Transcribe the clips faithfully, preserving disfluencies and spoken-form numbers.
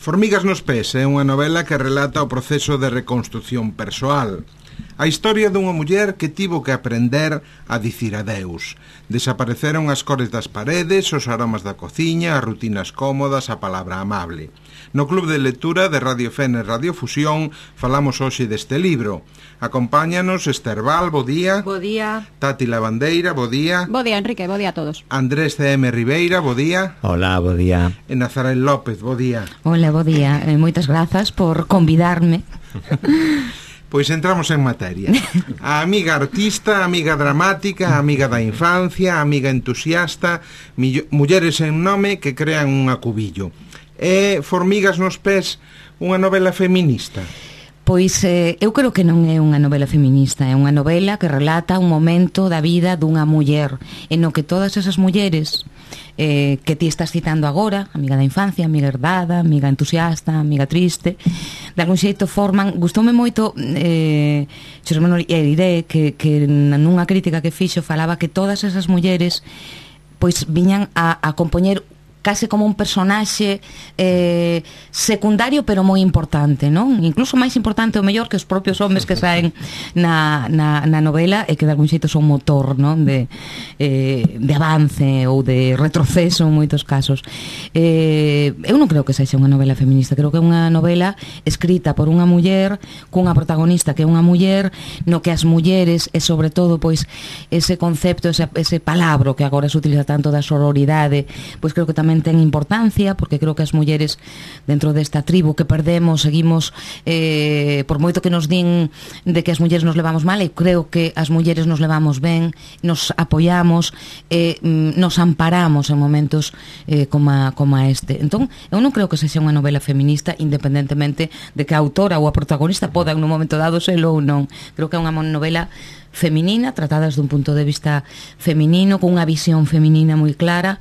Formigas nos pés é unha novela que relata o proceso de reconstrución persoal. A historia dunha muller que tivo que aprender a dicir adeus. Desapareceron as cores das paredes, os aromas da cociña, as rutinas cómodas, a palabra amable. No Club de Lectura de Radio Fene Radio Fusión falamos hoxe deste libro. Acompáñanos Esther Val, bo día. Bo día. Tati Lavandeira, bo día. Bo día, Enrique, bo día a todos. Andrés C M Ribeira, bo día. Hola, bo día. E Nazarén López, bo día. Hola, bo día. Eh, moitas grazas por convidarme. Pois entramos en materia. A amiga artista, a amiga dramática, a amiga da infancia, a amiga entusiasta, mulleres en nome que crean un acubillo. É Formigas nos pés unha novela feminista? Pois eh, eu creo que non é unha novela feminista, é unha novela que relata un momento da vida dunha muller en no que todas esas mulleres eh, que ti estás citando agora, amiga da infancia, amiga herdada, amiga entusiasta, amiga triste, de algún xeito forman. Gustoume moito eh, Xosé Manuel Eiré que, que nunha crítica que fixo falaba que todas esas mulleres pois viñan a, a compoñer case como un personaxe eh, secundario pero moi importante, non? Incluso máis importante o mellor que os propios homes que saen na, na, na novela e que de algún xeito son motor, non? De, eh, de avance ou de retroceso en moitos casos. Eh, eu non creo que sexa unha novela feminista, creo que é unha novela escrita por unha muller cunha protagonista que é unha muller no que as mulleres e sobre todo pois ese concepto, ese, ese palabro que agora se utiliza tanto da sororidade, pois creo que tamén ten importancia, porque creo que as mulleres dentro desta tribu que perdemos seguimos, eh, por moito que nos din de que as mulleres nos levamos mal, e creo que as mulleres nos levamos ben, nos apoiamos, eh, nos amparamos en momentos eh, como, a, como a este. Entón, eu non creo que sexa unha novela feminista, independentemente de que a autora ou a protagonista podan nun momento dado selo ou non. Creo que é unha novela feminina, tratadas dun punto de vista feminino, con unha visión feminina moi clara,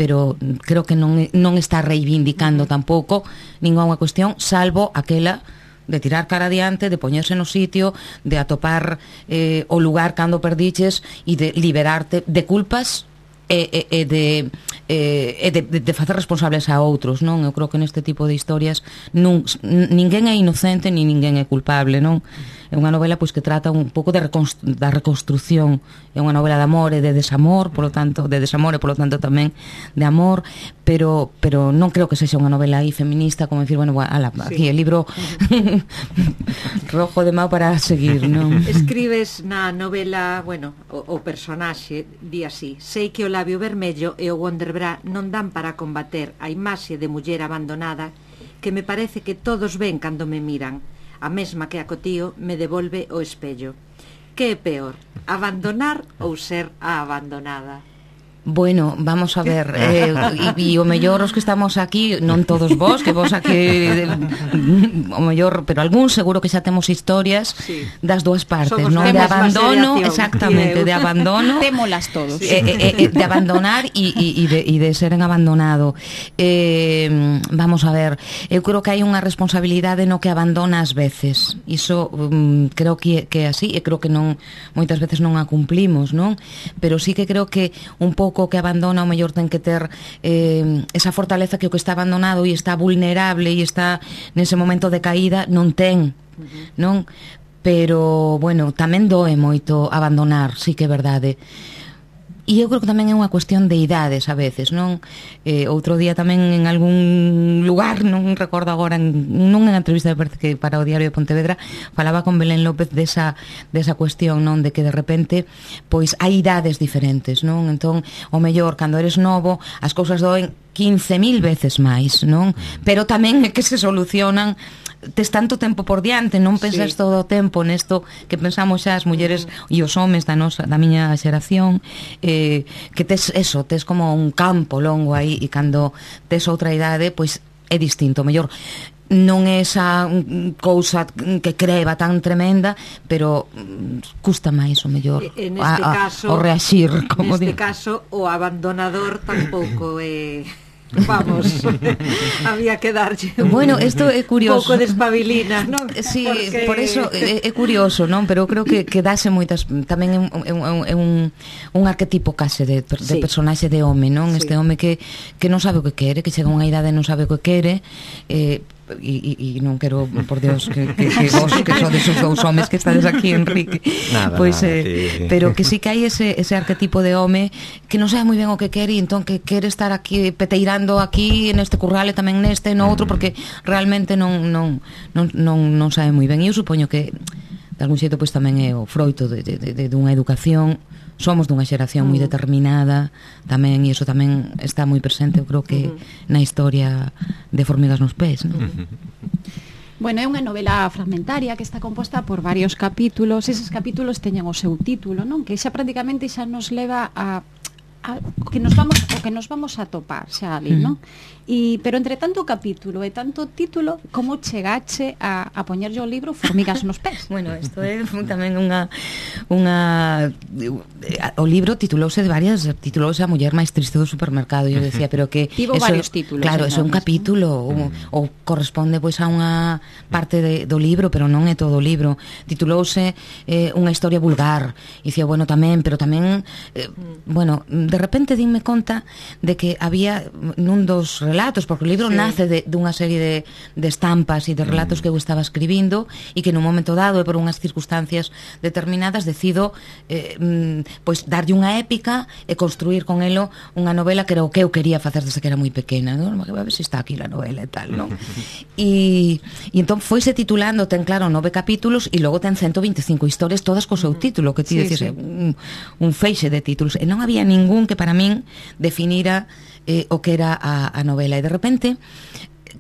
pero creo que non, non está reivindicando tampouco ninguna cuestión, salvo aquela de tirar cara adiante, de poñerse no sitio, de atopar eh, o lugar cando perdiches e de liberarte de culpas e, e, e de e de, de, de facer responsables a outros, non? Eu creo que neste tipo de historias nun, ninguén é inocente ni ninguén é culpable, non? É unha novela pois que trata un pouco de reconstru- da reconstrucción, é unha novela de amor e de desamor, polo tanto, de desamor e polo tanto tamén de amor, pero pero non creo que sexa unha novela aí feminista, como decir, bueno, ala, sí. Aquí el libro rojo de mau para seguir, non? Escribes na novela, bueno, o, o personaxe di así: sei que o labio vermello e o Wonderbra non dan para combater a imaxe de muller abandonada que me parece que todos ven cando me miran. A mesma que acotío me devolve o espello. Que é peor, abandonar ou ser a abandonada? Bueno, vamos a ver, eh, e, e o mellor os que estamos aquí, non todos vos, que vos aquí o mellor, pero algún seguro que xa temos historias sí. das dúas partes, non? De abandono, exactamente, de abandono. Témolas todos. Eh, eh, eh, de abandonar e, e, de, e de ser en abandonado. Eh, vamos a ver, eu creo que hai unha responsabilidade no que abandona ás veces. Iso um, creo que, que é así, e creo que non moitas veces non a cumplimos, non? Pero sí que creo que un pouco que abandona o mellor ten que ter eh, esa fortaleza que o que está abandonado e está vulnerable e está nese momento de caída non ten, uh-huh. non? Pero, bueno, tamén doe moito abandonar, sí que é verdade. E eu creo que tamén é unha cuestión de idades a veces, non? Eh, outro día tamén en algún lugar, non recordo agora, non en entrevista, parece que para o Diario de Pontevedra, falaba con Belén López desa, desa cuestión, non? De que de repente, pois, hai idades diferentes, non? Entón, o mellor, cando eres novo, as cousas doen quince mil veces máis, non? Pero tamén é que se solucionan, tes tanto tempo por diante, non pensas sí. todo o tempo nesto que pensamos xa as mulleres uh-huh. e os homes da nosa, da miña xeración, eh, que tes eso, tes como un campo longo aí, e cando tes outra idade, pois é distinto, mellor non é esa cousa que creva tan tremenda, pero custa máis o mellor en este a, a, caso, o reaxir, como neste digo. caso o abandonador tampouco é vamos, había que darlle un, bueno, isto é curioso. pouco de espabilina, non? Sí, Porque... por eso é, é curioso, non? Pero creo que, que dáse moitas, tamén é un, é un, é un, un arquetipo case de, de sí. personaxe de home, non? Sí. Este home que, que non sabe o que quere, que chega a unha idade e non sabe o que quere, eh, e, e, e non quero, por Dios, que, que, que vos que sodes os dous homes que estades aquí, Enrique, nada, pois, nada, eh, sí. pero que sí que hai ese, ese arquetipo de home que non sabe moi ben o que quere e entón que quere estar aquí peteirando aquí neste curral e tamén neste, no outro, porque realmente non, non, non, non, non sabe moi ben. E eu supoño que de algún xeito pois tamén é o froito de, de, de, de unha educación. Somos dunha xeración moi determinada tamén, e iso tamén está moi presente, eu creo que uh-huh. na historia de Formigas nos pés, non? Uh-huh. Bueno, é unha novela fragmentaria que está composta por varios capítulos. Eses capítulos teñen o seu título, non? Que xa prácticamente xa nos leva a A, o que nos vamos o que nos vamos a topar xa ali, mm. non? E pero entre tanto capítulo e tanto título, como chegache a, a poñerlle o libro Formigas nos pés? Bueno, isto é tamén unha unha o libro titulouse de varias, titulouse A muller máis triste do supermercado, e eu decía, pero que tivo eso, varios títulos. Claro, eso é un capítulo, ou, ou corresponde pois a unha parte de, do libro, pero non é todo o libro. Titulouse eh, unha historia vulgar. E dicía, bueno, tamén, pero tamén eh, bueno, de repente dime conta de que había nun dos relatos, porque o libro sí. nace de, dunha serie de, de estampas e de relatos que eu estaba escribindo, e que nun momento dado e por unhas circunstancias determinadas decido eh, pois darlle unha épica e construir con elo unha novela que era o que eu quería facer desde que era moi pequena, non? A ver se está aquí a novela e tal, non? E, e entón foise titulando, ten claro nove capítulos e logo ten ciento veinticinco historias todas co seu título, que ti sí, dices sí. un, un feixe de títulos, e non había ningún que para min definira eh, o que era a, a novela, e de repente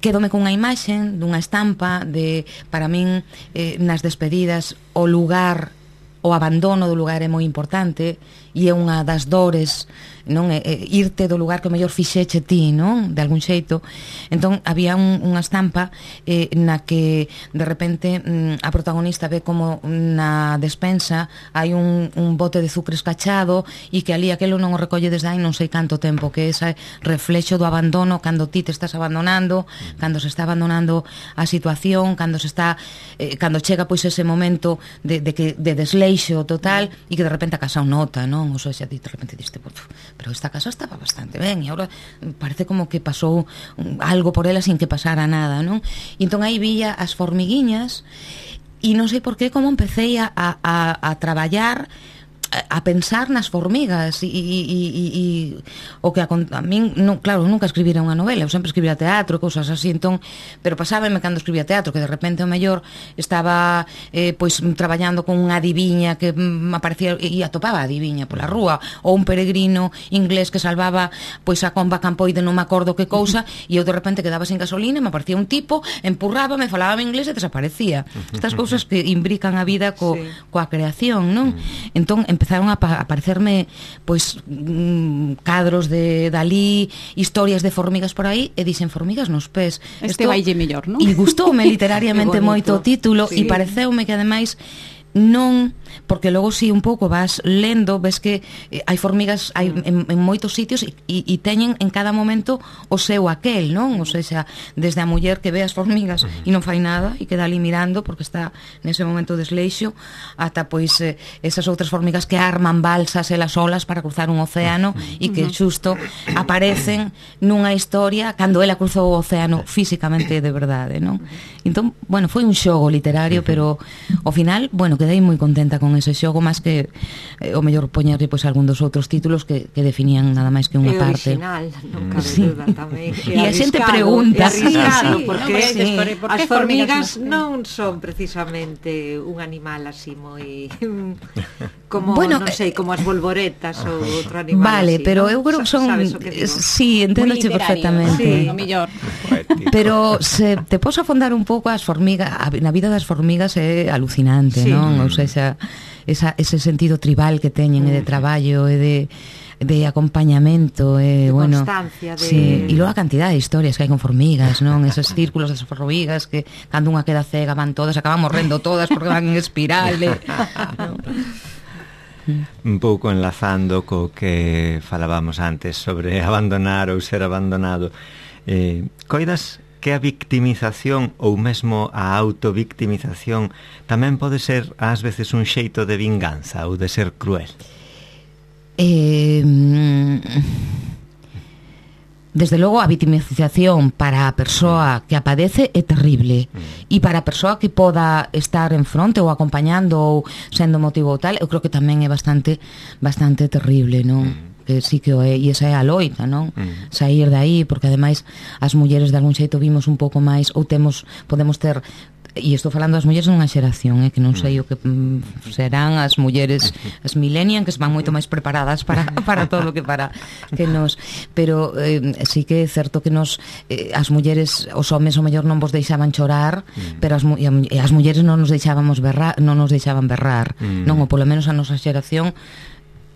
quedome con unha imaxe dunha estampa de, para min eh, nas despedidas o lugar, o abandono do lugar é moi importante, e é unha das dores, non, é, é irte do lugar que o mellor fixeche ti, non, de algún xeito. Entón había un, unha estampa eh, na que de repente mm, a protagonista ve como na despensa hai un, un bote de azucre escachado, e que ali aquelo non o recolle desde hai non sei canto tempo, que ese reflexo do abandono cando ti te estás abandonando, cando se está abandonando a situación, cando se está eh, cando chega pois ese momento de, de, que, de desleixo total, e que de repente a casa o nota, non? O sea, xa de repente diste, pero esta casa estaba bastante ben, e agora parece como que pasou algo por ela sin que pasara nada, non? E entón aí vía as formiguiñas, e non sei por qué como empecé a, a, a traballar, a pensar nas formigas, e, e, e, e o que a, a min, non, claro, nunca escribira unha novela, eu sempre escribira teatro, cousas así, entón, pero pasábame cando escribía teatro, que de repente o mellor estaba eh, pois traballando con unha adiviña que mm, aparecía e atopaba a adiviña pola rúa, ou un peregrino inglés que salvaba pois a comba campoide, non me acordo que cousa, e eu de repente quedaba sin gasolina, me aparecía un tipo, empurraba, me falaba en inglés e desaparecía. Estas cousas que imbrican a vida co, sí. coa creación, non? Entón, empezaron a aparecerme pois mm, cadros de Dalí, historias de formigas por aí, e dixen Formigas nos pés. Este vaille mellor, non? E gustoume literariamente moito o título, sí. e pareceume que ademais non, porque logo si un pouco vas lendo, ves que eh, hai formigas hai en, en moitos sitios e, e teñen en cada momento o seu aquel, non? O sea, desde a muller que ve as formigas e non fai nada e queda ali mirando porque está nese momento de desleixo, ata pois eh, esas outras formigas que arman balsas elas solas para cruzar un océano e que xusto aparecen nunha historia cando ela cruzou o océano físicamente de verdade, non? Entón, bueno, foi un xogo literario, pero ao final, bueno, quedei moi contenta con ese xogo, máis que eh, o mellor poñerlle pois algún dos outros títulos que, que definían nada máis que unha é parte. Original, non cabe sí. duda tamén. E a xente pregunta, sí, sí, porque no, sí. por, por as formigas non non son precisamente un animal así moi como, bueno, non sei, como as bolboretas ou outro animal. Vale, así, pero ¿no? eu creo que son sí, enténdoche perfectamente. Sí. O mellor. Pero se te podes afondar un pouco as formigas, na vida das formigas é alucinante, sí. non? Ou seja, esa, ese sentido tribal que teñen e de traballo e de de acompañamento e de bueno, constancia de... sí, e logo a cantidade de historias que hai con formigas, non? Esos círculos das formigas que cando unha queda cega van todas, acaban morrendo todas porque van en espiral, e, ¿no? un pouco enlazando co que falábamos antes sobre abandonar ou ser abandonado, eh, coidas que a victimización ou mesmo a autovictimización tamén pode ser ás veces un xeito de vinganza ou de ser cruel? Eh, desde logo a victimización para a persoa que a padece é terrible, e para a persoa que poda estar en fronte ou acompañando ou sendo motivo ou tal, eu creo que tamén é bastante bastante terrible, non? Que sí que o é, e esa é a loita, non? Mm. Saír de aí, porque ademais as mulleres de algún xeito vimos un pouco máis, ou temos, podemos ter, e estou falando das mulleres nunha xeración, eh, que non sei o que mm, serán as mulleres, as millennials, que van moito máis preparadas para, para todo que para que nos, pero eh, sí que é certo que nos eh, as mulleres, os homes o mellor non vos deixaban chorar, mm. pero as, e as mulleres non nos deixábamos berrar, non nos deixaban berrar, mm. non, ou polo menos a nosa xeración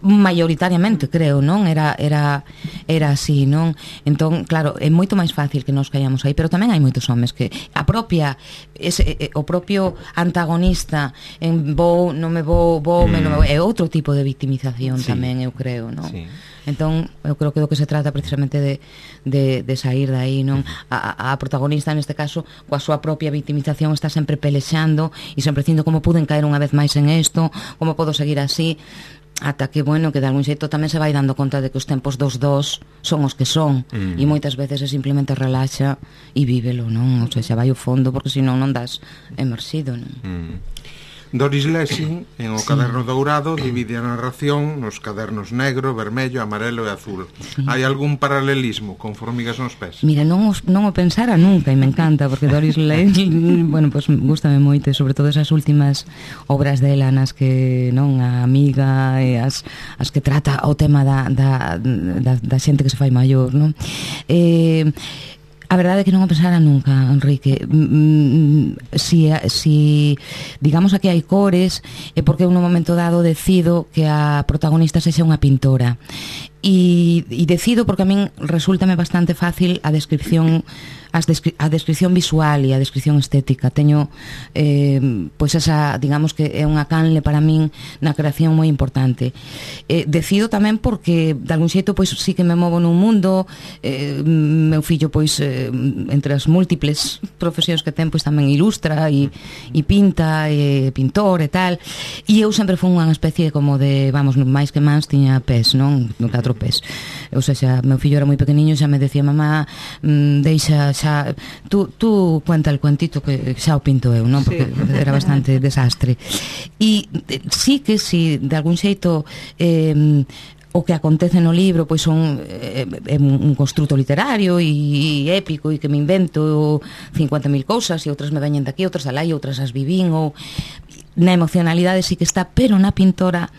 maioritariamente, creo, non? Era era era así, non? Entón, claro, é moito máis fácil que nos caíamos aí, pero tamén hai moitos homes que a propia ese, o propio antagonista en vou, non me vou, vou, mm. me non me vou, é outro tipo de victimización, sí. Tamén, eu creo, non? Sí. Entón, eu creo que do que se trata precisamente de, de, de sair de aí, non? A, a protagonista, neste caso, coa súa propia victimización, está sempre pelexando e sempre dicindo como puden caer unha vez máis en isto, como podo seguir así, ata que, bueno, que de algún xeito tamén se vai dando conta de que os tempos dos dos son os que son, mm. e moitas veces é simplemente relaxa e vívelo, non? O sea, xa vai ao fondo, porque senón non das emerxido, non? Mm. Doris Lessing, en o sí. Caderno Dourado, divide a narración nos cadernos negro, vermello, amarelo e azul. Sí. Hai algún paralelismo con Formigas nos pés? Mira, non, os, non o pensara nunca, e me encanta, porque Doris Lessing, bueno, pues gústame moito, sobre todo esas últimas obras dela nas que, non, a amiga e as, as que trata o tema da, da, da, da xente que se fai maior, non? Eh... A verdade é que non o pensara nunca, Enrique. Si, si digamos aquí hai cores, é porque en un momento dado decido que a protagonista sexa unha pintora. E, e decido porque a min resúltame bastante fácil a descripción as descri a descripción visual e a descripción estética. Teño eh, pois esa, digamos que é unha canle para min na creación moi importante. Eh, decido tamén porque de algún xeito pois sí que me movo nun mundo, eh, meu fillo pois eh, entre as múltiples profesións que ten pois tamén ilustra e, e pinta, e pintor e tal, e eu sempre fui unha especie como de, vamos, máis que mans tiña pés, non? No catro pés. Ou seja, meu fillo era moi pequeniño, xa me decía, mamá, mm, deixa xa, tú, tú cuenta el cuentito que xa o pinto eu, non? Porque sí. Era bastante desastre. E sí que si de algún xeito eh, o que acontece no libro pois son é, é un construto literario e, e épico, e que me invento cincuenta mil cousas, e outras me veñen daqui, outras alá, e outras as vivín, ou na emocionalidade sí que está, pero na pintora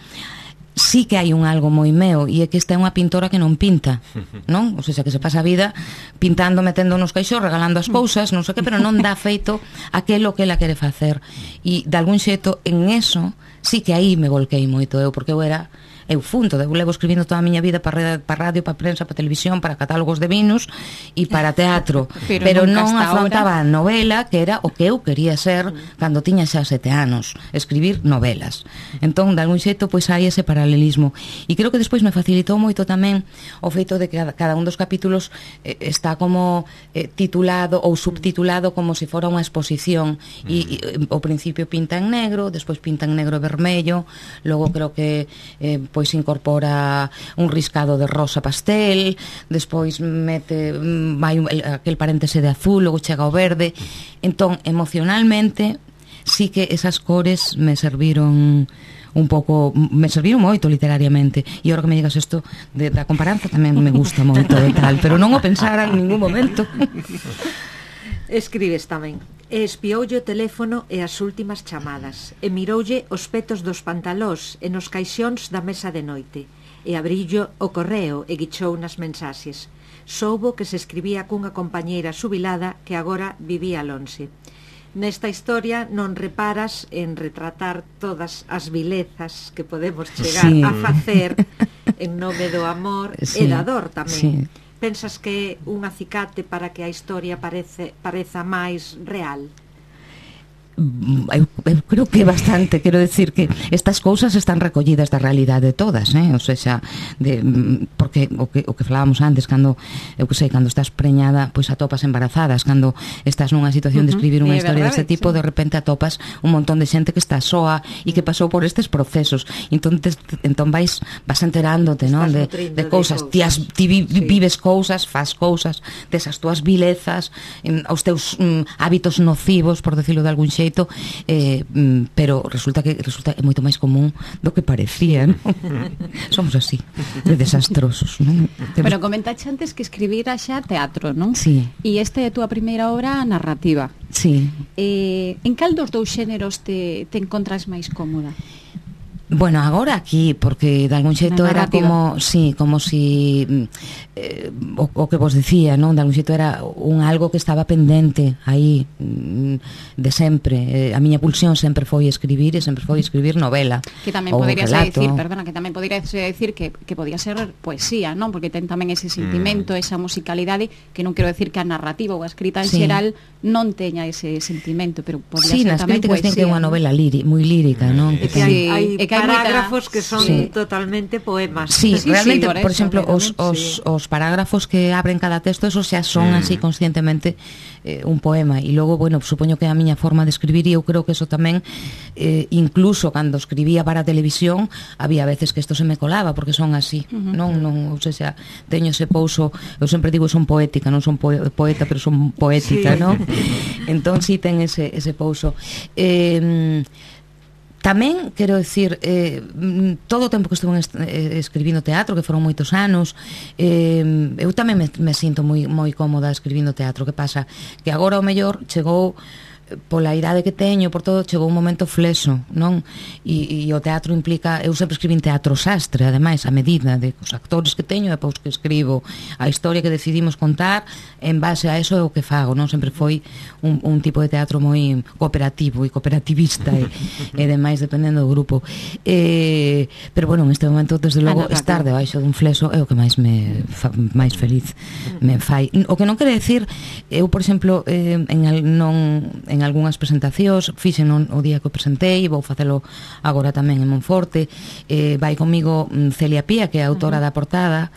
sí que hai un algo moi meu, e é que esta é unha pintora que non pinta, non? O sea, que se pasa a vida pintando, metendo nos caixos, regalando as cousas, non sei que, pero non dá feito aquelo que ela quere facer. E de algún xeito en eso sí que aí me volquei moito eu, porque eu era eu funto, eu levo escribindo toda a miña vida para radio, para prensa, para televisión, para catálogos de vinos e para teatro, pero, pero non afrontaba a novela, que era o que eu quería ser cando tiña xa sete anos, escribir novelas. Entón, de algún xeito, pois hai ese paralelismo. E creo que despois me facilitou moito tamén o feito de que cada un dos capítulos eh, está como eh, titulado ou subtitulado como se fora unha exposición, e, e o principio pinta en negro, despois pinta en negro e vermello, logo creo que eh, pois incorpora un riscado de rosa pastel, despois mete vai aquel paréntese de azul, logo chega ao verde. Entón, emocionalmente sí que esas cores me serviron un pouco, me serviron moito literariamente, e agora que me digas isto de, da comparanza tamén me gusta moito e tal, pero non o pensara en ningún momento. Escribes tamén: e espioulle o teléfono e as últimas chamadas, e miroulle os petos dos pantalós e nos caixóns da mesa de noite, e abrillo o correo e guichou nas mensaxes. Soubo que se escribía cunha compañeira xubilada que agora vivía lonxe. Nesta historia non reparas en retratar todas as vilezas que podemos chegar sí. a facer en nome do amor sí. e da dor tamén. Sí. Pensas que un acicate para que a historia parece, pareza máis real? eu, eu creo que bastante, quero decir que estas cousas están recollidas da realidade todas, eh? O sea, de, porque o que, o que falábamos antes, cando, eu que sei, cando estás preñada, pois atopas embarazadas, cando estás nunha situación uh-huh. de escribir unha historia deste tipo, sí. de repente atopas un montón de xente que está soa e que pasou por estes procesos, entón, te, entón vais, vas enterándote, non? De, de cousas, ti, as, ti vi, sí. vives cousas, faz cousas, tes as túas vilezas, os teus um, hábitos nocivos, por decirlo de algún xeito, eh, pero resulta que resulta é moito máis común do que parecía, non? Somos así, de desastrosos, non? Pero comentaxe antes que escribira xa teatro, non? Sí. E este é a túa primeira obra narrativa. Sí. Eh, en cal dos dous xéneros te, te encontras máis cómoda? Bueno, agora aquí, porque de algún xeito era como, sí, como si eh, o, o que vos decía, non? De algún xeito era un algo que estaba pendente aí de sempre. Eh, a miña pulsión sempre foi escribir e sempre foi escribir novela. Que tamén poderías decir, perdona, que tamén poderías decir que, que podía ser poesía, non? Porque ten tamén ese sentimento, mm. esa musicalidade, que non quero decir que a narrativa ou a escrita en sí. xeral non teña ese sentimento, pero podría sí, ser tamén poesía. Sí, nas críticas ten que é unha novela líri, moi lírica, non? E que hai, hai parágrafos que son sí. totalmente poemas. Sí, sí realmente, sí, por, por exemplo, os, os, sí. os parágrafos que abren cada texto, esos xa son mm. así conscientemente eh, un poema. E logo, bueno, supoño que a miña forma de escribir, e eu creo que eso tamén, eh, incluso cando escribía para a televisión, había veces que isto se me colaba, porque son así, uh-huh. non, non, ou sea, teño ese pouso, eu sempre digo son poética, non son poeta, pero son poética, sí. non? Entón, si sí, ten ese, ese pouso. Eh, Tamén, quero dicir, eh, todo o tempo que estuve escribindo teatro, que foron moitos anos, eh, eu tamén me, me sinto moi, moi cómoda escribindo teatro. Que pasa? Que agora o mellor chegou, pola idade que teño, por todo, chegou un momento flexo, non? E, e o teatro implica, eu sempre escribín teatro sastre, ademais, a medida de os actores que teño, e pois que escribo a historia que decidimos contar, en base a eso é o que fago, non? Sempre foi un, un tipo de teatro moi cooperativo e cooperativista e, e demais, dependendo do grupo. Eh, pero, bueno, en este momento, desde logo, ah, no, estar debaixo dun flexo é o que máis me fa, máis feliz me fai. O que non quere decir, eu, por exemplo, eh, en el, non en algunhas presentacións, fixen o día que o presentei, vou facelo agora tamén en Monforte, eh, vai comigo Celia Pía, que é a autora uh-huh. da portada,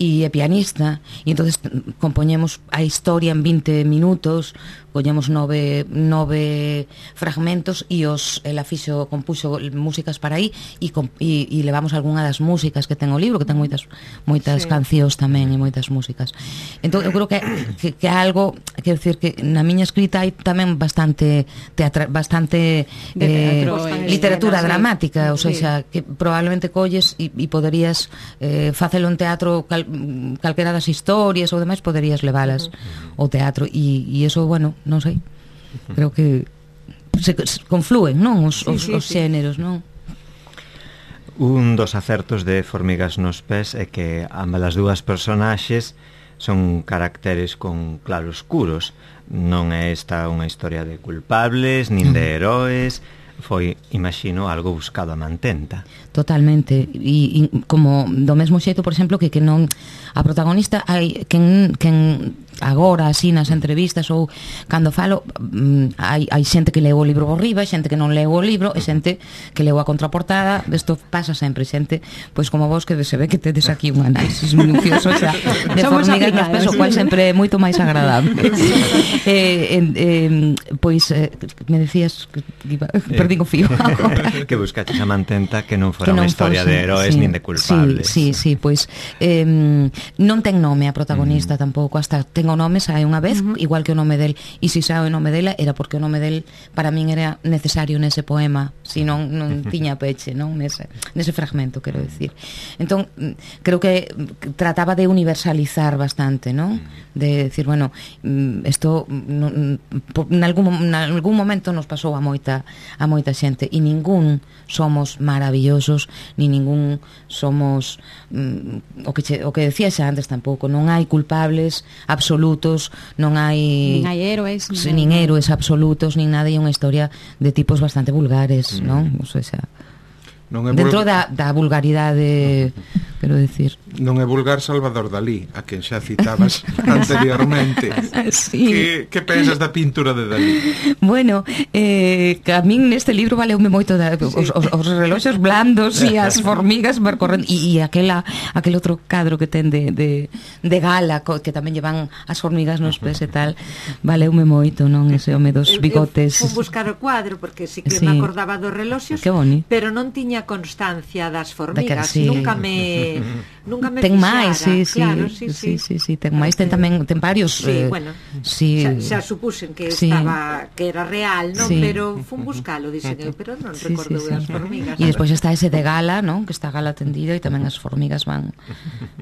e é pianista, e entonces compoñemos a historia en vinte minutos, collemos nove, nove fragmentos, e os ela fixo, compuxo músicas para aí, e, e, e levamos algunha das músicas que ten o libro, que ten moitas moitas sí. cancións tamén, e moitas músicas. Entón, eu creo que, que, que é algo, quero dicir, que na miña escrita hai tamén bastante teatra, bastante eh, teatro, literatura escena, dramática, sí. ou sea, sí. que probablemente colles e, e poderías eh, facelo en teatro, cal, calquera das historias ou demais, poderías leválas uh-huh. ao teatro, e, e eso, bueno, non sei, creo que se, se conflúen, non? Os, sí, os, sí, os xéneros, non? Un dos acertos de Formigas nos pés é que ambas as dúas personaxes son caracteres con claroscuros. Non é esta unha historia de culpables, nin de heróis, foi, imagino, algo buscado a mantenta. Totalmente, e, e como do mesmo xeito, por exemplo, que, que non a protagonista hai quen, quen agora así nas entrevistas ou cando falo, mm, hai, hai xente que leu o libro por riba, xente que non leu o libro, e xente que leu a contraportada. Isto pasa sempre, xente pois como vos, que se ve que tedes aquí un análisis minucioso xa de Formigas nos pés, o cual sempre é moito máis agradable. eh, eh, pois eh, me decías que iba, perdí o fío. Que buscaches a mantenta que non fora unha historia fose, de heróis, sí, nin de culpables. Sí, sí, sí, pois eh, non ten nome a protagonista, mm. tampouco, hasta ten o nome, sae unha vez, uh-huh. igual que o nome del, e se sae o nome dela era porque o nome del para min era necesario nese poema, si non, non tiña peche, non? Nese, nese fragmento, quero decir. Entón, creo que trataba de universalizar bastante, non? De decir, bueno, isto en algún, en algún momento nos pasou a moita a moita xente, e ningún somos maravillosos, ni ningún somos mm, o que che, o que decía xa antes tampouco, non hai culpables absolutos, non hai nin hai héroes, nin, nin héroes absolutos, nin nada, e unha historia de tipos bastante vulgares, mm. non? O sea, Non é dentro vulgar, da, da vulgaridade, quero decir. Non é vulgar Salvador Dalí, a quen xa citabas anteriormente. Sí. Que, que pensas da pintura de Dalí? Bueno, eh, a min neste libro valeume moito da, os, os, os reloxos blandos e as formigas percorrendo e, e aquela, aquel outro cadro que ten de, de, de gala co, que tamén llevan as formigas nos pés e tal, valeume moito, non? Ese home dos bigotes. Eu fui buscar o cuadro porque sí que Sí. me acordaba dos reloxos, Que boni. pero non tiña constancia das formigas, sí. nunca me nunca me Ten fixara. máis, sí, sí, claro, sí, sí, sí, sí, sí, ten máis, ten tamén ten varios, sí, eh, bueno, sí. xa, xa supusen que Sí. estaba que era real, non? Sí. Pero fun buscalo, dixen eu, pero non Sí, recordo sí, sí. as formigas. E despois está ese de gala, non? Que está gala tendido e tamén as formigas van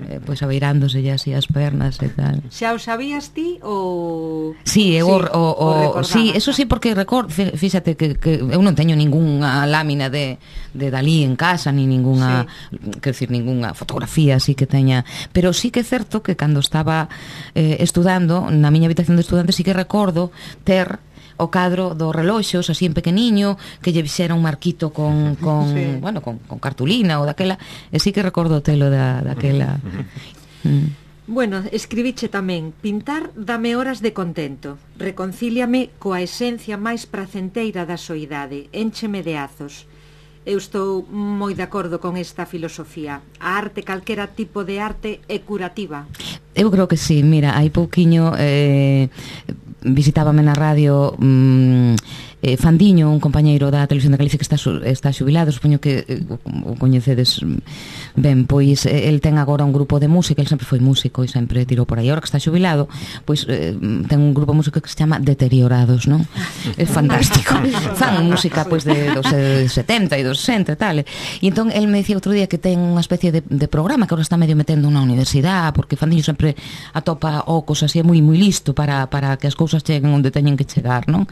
eh, pois abeirándose así as pernas e tal. Xa o sabías ti ou Sí, eu o, o, o, recordabas? sí, eso sí, porque record, fí- fíxate que, que eu non teño ningunha lámina de, de Dalí en casa, ni ningunha, sí. quero decir, ningunha fotografía así que teña, pero sí que é certo que cando estaba eh, estudando na miña habitación de estudante sí que recordo ter o cadro dos reloxos así en pequeniño que lle fixera un marquito con, con Sí. bueno, con, con cartulina ou daquela, e sí que recordo o telo da, daquela. Mm. Bueno, escribiche tamén: pintar dame horas de contento, reconcíliame coa esencia máis pracenteira da soidade, éncheme de azos. Eu estou moi de acordo con esta filosofía. A arte, calquera tipo de arte, é curativa. Eu creo que sí, mira, hai pouquiño eh, visitábame na radio mm, eh, Fandiño, un compañeiro da Televisión de Galicia que está, está xubilado, supoño que eh, o coñecedes ben, pois eh, el ten agora un grupo de música, el sempre foi músico e sempre tirou por aí, agora que está xubilado pois eh, ten un grupo de música que se chama Deteriorados, non? É fantástico, fan música pois de dos setenta e dos sesenta e tal, e entón el me dicía outro día que ten unha especie de, de programa que agora está medio metendo na universidade, porque Fandiño sempre atopa ocos así, é moi moi listo para, para que as cousas cheguen onde teñen que chegar, non?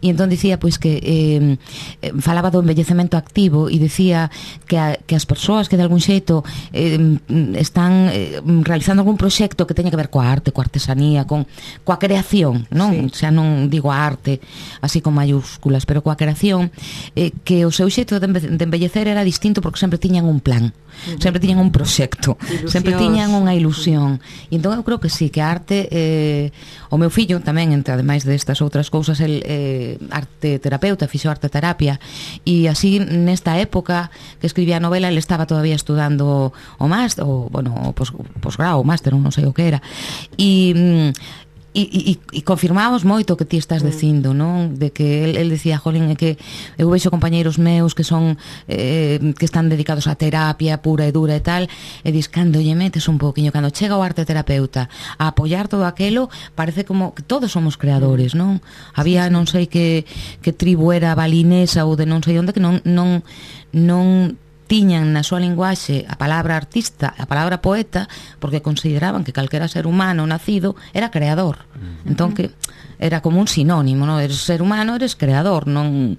E entón dicía pois que eh, falaba do envellecemento activo e dicía que, a, que as persoas que de algún xeito eh, están eh, realizando algún proxecto que teña que ver coa arte, coa artesanía, con coa creación, non? Sí. Xa non digo a arte así con mayúsculas, pero coa creación, eh, que o seu xeito de envellecer era distinto porque sempre tiñan un plan, sempre tiñan un proxecto, sempre tiñan unha ilusión. E entón eu creo que sí, que a arte eh, o meu fillo tamén, entre ademais destas outras cousas, el eh, arte terapeuta, fixo arte terapia, e así nesta época que escribía a novela ele estaba todavía estudando o máster, o, bueno, o pos, posgrado, o máster, non sei o que era, e E, e, e confirmamos moito o que ti estás dicindo, non? De que el, el decía, jolín, é que eu vexo compañeiros meus que son eh, que están dedicados á terapia pura e dura e tal, e dis, cando lle metes un pouquiño, cando chega o arte terapeuta a apoiar todo aquelo, parece como que todos somos creadores, non? Había non sei que, que tribu era balinesa ou de non sei onde que non non non tiñan na súa linguaxe a palabra artista, a palabra poeta, porque consideraban que calquera ser humano nacido era creador. Entón que era como un sinónimo, non? Eres ser humano, eres creador, non...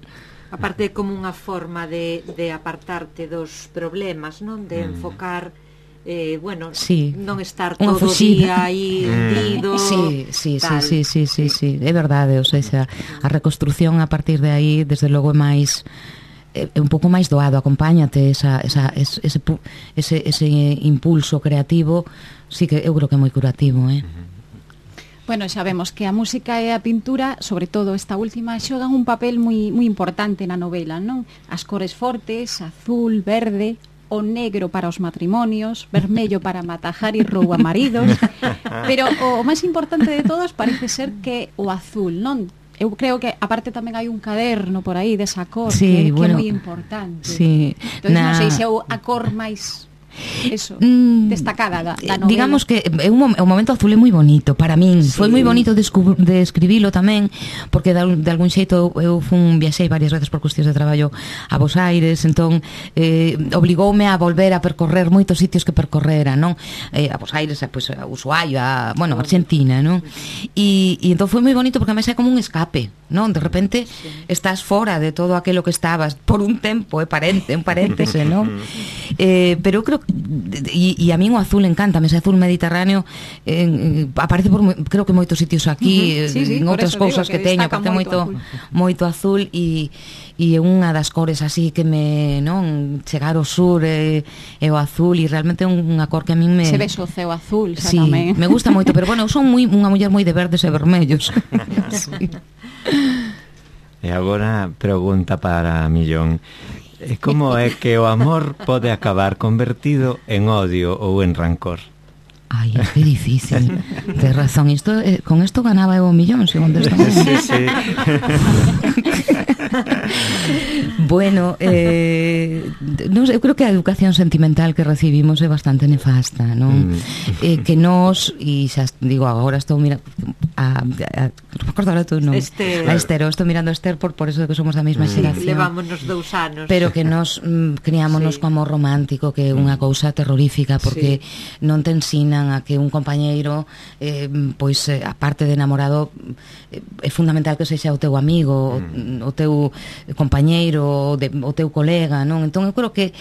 Aparte como unha forma de, de apartarte dos problemas, non? De enfocar eh, bueno, sí. non estar Unha todo o día aí hundido. Sí, sí, sí, sí, sí, sí, sí, é verdade, ou seja, a reconstrucción a partir de aí, desde logo é máis é un pouco máis doado, acompáñate esa, esa, ese, ese, ese impulso creativo, sí que eu creo que é moi curativo, eh? Bueno, xa vemos que a música e a pintura, sobre todo esta última, xogan un papel moi, moi importante na novela, non? As cores fortes, azul, verde, o negro para os matrimonios, vermello para matajar e rouba maridos, pero o máis importante de todos parece ser que o azul, non? Eu creo que aparte tamén hai un caderno por aí desa cor, sí, que, bueno, que é moi importante. Sí, entón, na... non sei se é a cor máis eso, mm, destacada da, da novela. Digamos que é un, o momento azul é moi bonito para min, sí. Foi moi bonito de, de escribilo tamén, porque de, de algún xeito eu fun, viaxei varias veces por cuestións de traballo a Bos Aires, entón eh, obligoume a volver a percorrer moitos sitios que percorrera, non? Eh, a Bos Aires, pues, a Ushuaia, a, bueno, a Argentina, non? E, e entón foi moi bonito porque además é como un escape, non? De repente sí. Estás fora de todo aquilo que estabas por un tempo, é parente, un paréntese, non? Eh, pero eu creo e, e a min o azul encanta, ese azul mediterráneo eh, aparece por creo que moitos sitios aquí, uh -huh. sí, sí, en outras cousas que, que teño, aparece moito moito, moito azul e e é unha das cores así que me, non, chegar ao sur e, e o azul, e realmente é unha cor que a min me... Se ves o ceo azul, xa sí, tamén. me gusta moito, pero bueno, eu son moi, unha muller moi de verdes e vermellos. Sí. E agora pregunta para Millón. Como é que o amor pode acabar convertido en odio ou en rancor? Ai, é que difícil. Tens razón, isto, eh, con isto ganaba eu o millón, segundo esta sí, sí. Bueno, eh, non sei, eu creo que a educación sentimental que recibimos é bastante nefasta, non? Mm. Eh, que nos, e xa digo, agora estou mirando a, a, non me acordo ahora tú, non? Esther. A Esther, eu estou mirando a Esther por, por eso de que somos da mesma mm. xeración. Levámonos dous anos. Pero que nos mm, criámonos sí. co amor romántico, que é unha cousa terrorífica, porque sí. non te ensinan a que un compañeiro eh, pois eh, a parte de enamorado eh, é fundamental que sexa o teu amigo, mm. o, o teu compañeiro, o, de, o teu colega, non? Entón eu creo que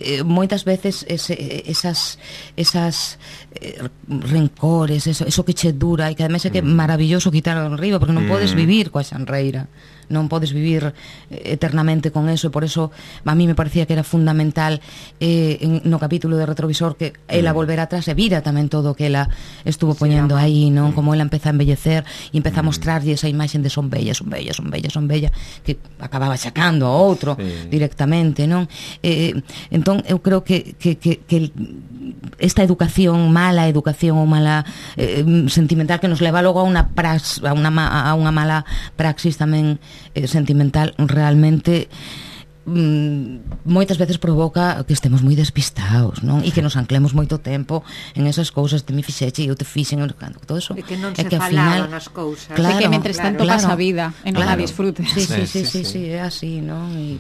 eh, moitas veces ese, esas esas eh, rencores, eso, eso que che dura, e que ademais é que é maravilloso quitarlo arriba, porque non mm. podes vivir coa xanreira, non podes vivir eternamente con eso, e por eso a mí me parecía que era fundamental eh, en, no capítulo de Retrovisor que ela mm. volver atrás e vira tamén todo o que ela estuvo poñendo sí, aí, non? Como ela empeza a embellecer e empeza a mostrarlle esa imaxe de son bella, son bella, son bella, son bella, que acababa chacando a outro sí. directamente, non? Eh, entón eu creo que, que, que, que esta educación, mala educación ou mala eh, sentimental que nos leva logo a unha prax, a unha, a unha mala praxis tamén eh, sentimental, realmente mm, moitas veces provoca que estemos moi despistados, non? E que nos anclemos moito tempo en esas cousas de mi fixeche e eu te fixen, todo eso. E que non é se que falaban as cousas. Claro, e que mentres tanto claro, pasa a vida e non claro. a disfrutes. Sí, sí, sí, sí, sí, sí, é así, non? E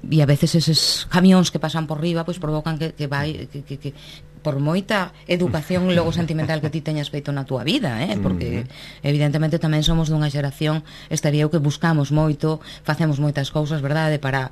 e a veces eses camións que pasan por riba pois provocan que, que vai que, que, que por moita educación logo sentimental que ti teñas feito na túa vida, eh? Porque evidentemente tamén somos dunha xeración, estaría eu que buscamos moito, facemos moitas cousas, verdade, para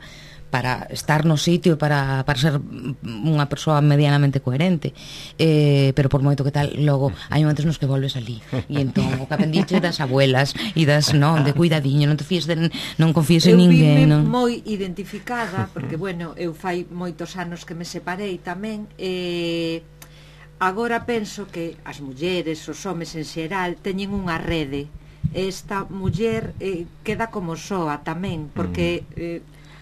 para estar no sitio e para, para ser unha persoa medianamente coherente, eh, pero por moito que tal, logo hai momentos nos que volves ali e entón o que aprendiche das abuelas e das, non, de cuidadiño, non te fíes de, non confíes en ninguén, non? Eu vime moi identificada porque, bueno, eu fai moitos anos que me separei tamén e agora penso que as mulleres, os homes en xeral teñen unha rede. Esta muller eh, queda como soa tamén porque eh,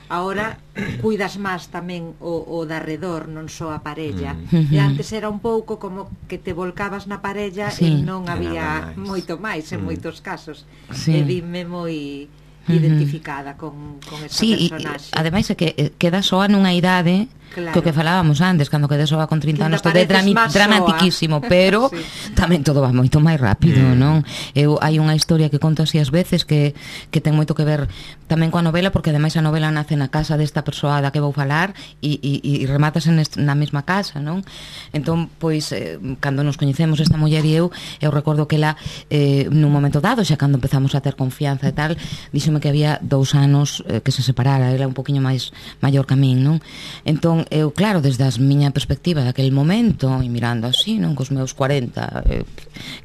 agora cuidas máis tamén o, o de arredor, non só a parella. Mm. E antes era un pouco como que te volcabas na parella sí. e non había máis. moito máis en mm. moitos casos. Sí. E vime moi identificada con, con esa sí, personaxe. Sí, ademais é que queda soa nunha idade claro. que o que falábamos antes, cando queda soa con trinta anos todo é drami, dramatiquísimo, pero sí. tamén todo va moito máis rápido, mm. non? Eu hai unha historia que conto así ás veces que, que ten moito que ver tamén coa novela, porque ademais a novela nace na casa desta persoa da que vou falar e, e, e rematas en est, na mesma casa, non? Entón, pois, eh, cando nos coñecemos esta muller e eu, eu recordo que ela eh, nun momento dado, xa cando empezamos a ter confianza e tal, díxome que había dous anos eh, que se separara, era un poquinho máis maior que a min, non? Entón, eu, claro, desde a miña perspectiva daquele momento, e mirando así, non, cos meus cuarenta eh,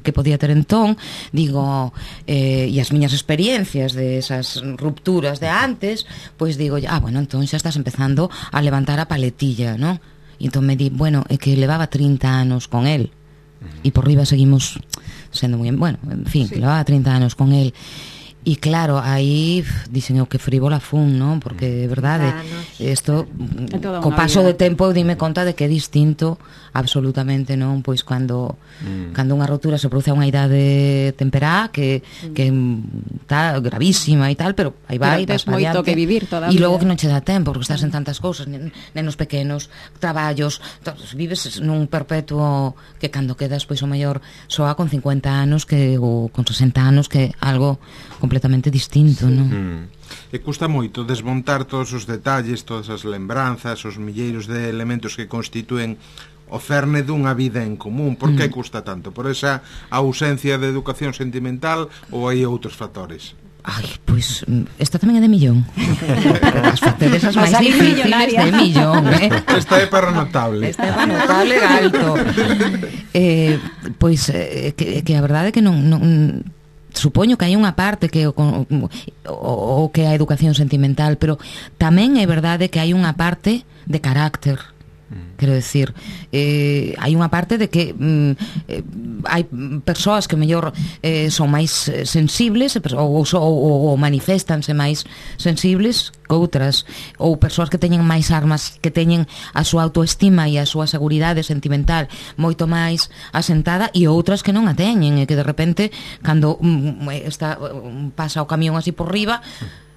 que podía ter entón, digo, eh, e as miñas experiencias de esas rupturas de antes, pois digo, ah, bueno, entón xa estás empezando a levantar a paletilla, non? E entón me di, bueno, é que levaba trinta anos con él, e por riba seguimos sendo moi, bueno, en fin, sí. levaba trinta anos con él. E claro, aí dicen eu que frívola fun, non? Porque de verdade isto co paso do tempo dime conta de que é distinto absolutamente, non? Pois cando mm. cando unha rotura se produce a unha idade temperá que que está gravísima e tal, pero aí vai, vas moito que vivir todavía. E logo que non che dá tempo porque estás en tantas cousas, nenos pequenos, traballos, todos, vives nun perpetuo que cando quedas pois o mellor soa con cincuenta anos que ou con sesenta anos que algo completamente distinto, sí. non? Mm. E custa moito desmontar todos os detalles, todas as lembranzas, os milleiros de elementos que constitúen o cerne dunha vida en común. Por que mm. custa tanto? Por esa ausencia de educación sentimental ou hai outros factores? Ai, pois, esta tamén é de millón. As facedes as máis difíciles de millón, eh? Esta é para notable. Esta é para notable alto. Eh, pois, eh, que, que a verdade é que non... non supoño que hai unha parte que o, o, o que é a educación sentimental, pero tamén é verdade que hai unha parte de carácter. Quero decir, eh, hai unha parte de que mm, eh, hai persoas que mellor eh, son máis sensibles ou, ou, ou, ou manifestanse máis sensibles que outras, ou persoas que teñen máis armas, que teñen a súa autoestima e a súa seguridade sentimental moito máis asentada, e outras que non a teñen, e que de repente cando mm, está, pasa o camión así por riba,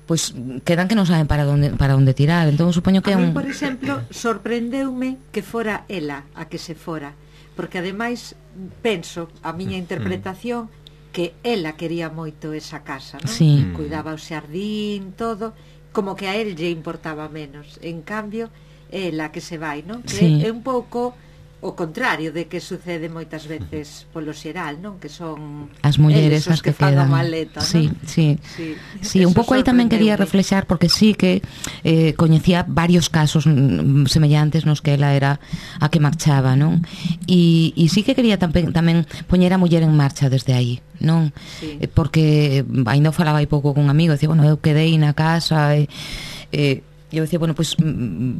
pois quedan que non saben para onde para onde tirar. Entón supoño que é un... A mí, por exemplo, sorprendeume que fora ela a que se fora, porque ademais penso, a miña interpretación, que ela quería moito esa casa, non? Sí. Cuidaba o xardín, todo, como que a él lle importaba menos. En cambio, ela que se vai, non? Que Sí. é un pouco o contrario de que sucede moitas veces polo xeral, non? Que son as mulleres eles as os que, que fan a quedan. maleta, Sí, non? sí. Sí, Sí, un eso pouco aí tamén quería sorprendeume. reflexar, porque sí que eh, coñecía varios casos mm, semellantes nos que ela era a que marchaba, non? E, e sí que quería tamén, tamén poñer a muller en marcha desde aí, non? Sí. Eh, porque ainda falaba aí pouco con un amigo, decía, bueno, eu quedei na casa e... Eh, eu decía, bueno, pois pues,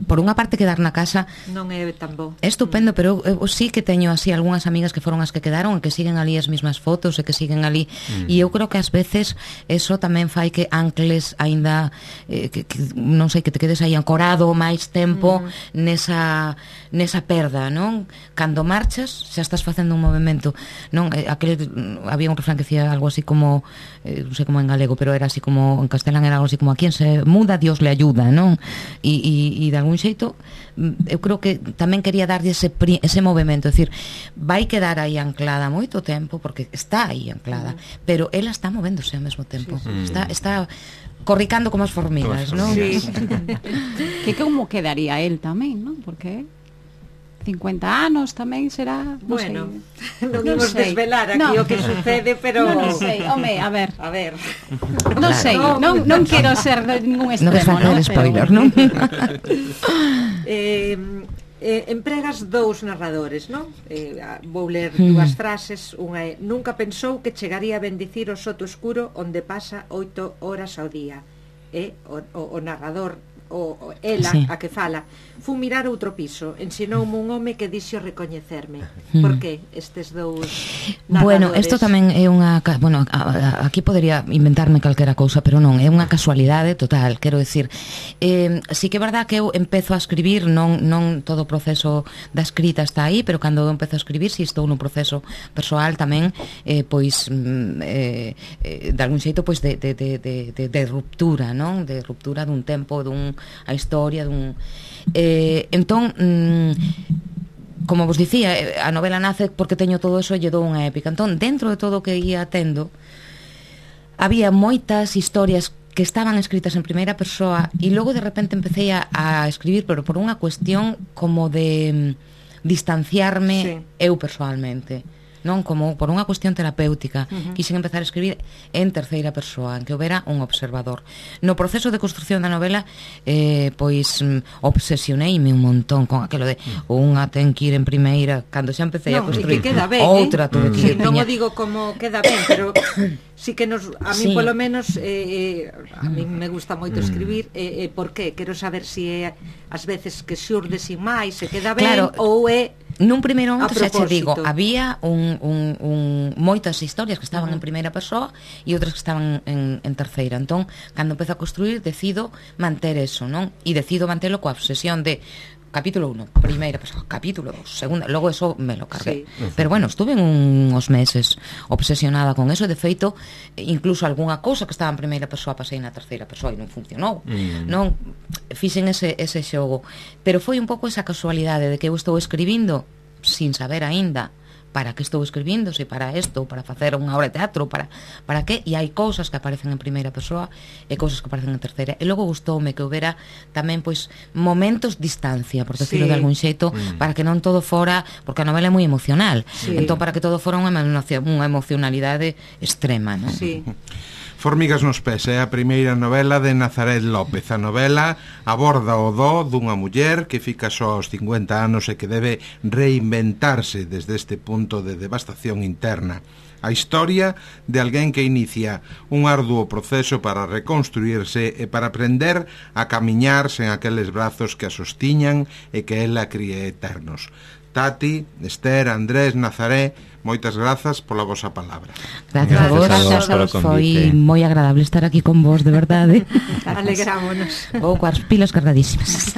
por unha parte quedar na casa Non é tan bo. é estupendo, pero eu, eu sí que teño así algunhas amigas que foron as que quedaron e que siguen ali as mesmas fotos e que siguen ali, e eu creo que ás veces eso tamén fai que ancles aínda eh, que, que non sei, que te quedes aí ancorado máis tempo nesa nesa perda, non? Cando marchas xa estás facendo un movemento, non? Eh, aquel, había un refrán que decía algo así como eh, non sei como en galego, pero era así como en castelán era algo así como a quien se muda Dios le ayuda, non? E, e, e de algún xeito eu creo que tamén quería darlle ese, ese movimento, é dicir, vai quedar aí anclada moito tempo, porque está aí anclada, mm. pero ela está movéndose ao mesmo tempo, sí, sí. está está corricando como as formigas, non? Sí. Que como quedaría él tamén, non? Porque cincuenta anos tamén será, non Bueno, sei. non imos sei. desvelar aquí No. o que sucede, pero... Non sei, home, a ver. A ver. Non sei, non, non quero ser de ningún Non extremo, vas facer ¿no? spoiler, Pero... non? eh, eh, empregas dous narradores, non? Eh, vou ler dúas frases. Unha é: nunca pensou que chegaría a bendicir o soto escuro onde pasa oito horas ao día. E o, o, o narrador, o, o ela, Sí. a que fala, fun mirar outro piso, ensinoume un home que dixo recoñecerme. Mm. Por que estes dous narradores? Bueno, isto tamén é unha... ca- Bueno, a, a, aquí podría inventarme calquera cousa, pero non, é unha casualidade total, quero decir. Eh, sí que é verdad que eu empezo a escribir, non non todo o proceso da escrita está aí, pero cando eu empezo a escribir, si estou nun proceso persoal tamén, eh, pois, mm, eh, eh, de algún xeito, pois, de, de, de, de, de, de ruptura, non? De ruptura dun tempo, dun a historia, dun... Eh, entón... Mm, como vos dicía, a novela nace porque teño todo eso e lle dou unha épica. Entón, dentro de todo o que ia tendo, había moitas historias que estaban escritas en primeira persoa e logo de repente empecé a, a escribir, pero por unha cuestión como de mm, distanciarme Sí. eu persoalmente, non, como por unha cuestión terapéutica. Uh-huh. Quixen empezar a escribir en terceira persoa, en que houbera un observador. No proceso de construcción da novela, eh, pois mm, obsesioneime un montón con aquilo de unha ten que ir en primeira, cando xa empecé Non, a construir e que queda ben, outra, eh? tuve que Sí, ir, non o tiña- digo como queda ben, pero sí que nos, a mí Sí. polo menos eh, eh, a mí me gusta moito escribir, eh, eh, por qué? Quero saber se si é as veces que xurde sin máis, se queda ben, Claro. ou é Nun primeiro momento A xa che digo, propósito. había un, un, un, moitas historias que estaban Uh-huh. en primeira persoa e outras que estaban en, en terceira. Entón, cando empezo a construir, decido manter eso, non? E decido mantelo coa obsesión de capítulo uno, primeira persoa, capítulo dos, segunda, logo eso me lo cargué. Sí. Pero bueno, estuve en uns meses obsesionada con eso, de feito, incluso algunha cousa que estaba en primeira persoa pasei na terceira persoa e non funcionou. Mm. Non fixen ese, ese xogo, pero foi un pouco esa casualidade de que eu estou escribindo sin saber aínda para que estou escribindo, se para isto, para facer unha obra de teatro, para para que, e hai cousas que aparecen en primeira persoa e cousas que aparecen en terceira. E logo gustoume que houbera tamén pois momentos distancia, por decirlo Sí. de algún xeito, mm. para que non todo fora, porque a novela é moi emocional. Sí. Entón para que todo fora unha emocio- unha emocionalidade extrema, non? Sí. Formigas nos pés é a primeira novela de Nazaret López. A novela aborda o do dunha muller que fica só aos cincuenta anos e que debe reinventarse desde este punto de devastación interna. A historia de alguén que inicia un arduo proceso para reconstruirse e para aprender a camiñar sen aqueles brazos que a sostiñan e que ela críe eternos. Tati, Esther, Andrés, Nazaré, moitas grazas pola vosa palabra. Gracias, a vos, gracias a vos foi moi agradable estar aquí con vos, de verdade. Alegrámonos. Vou coas pilas cargadísimas.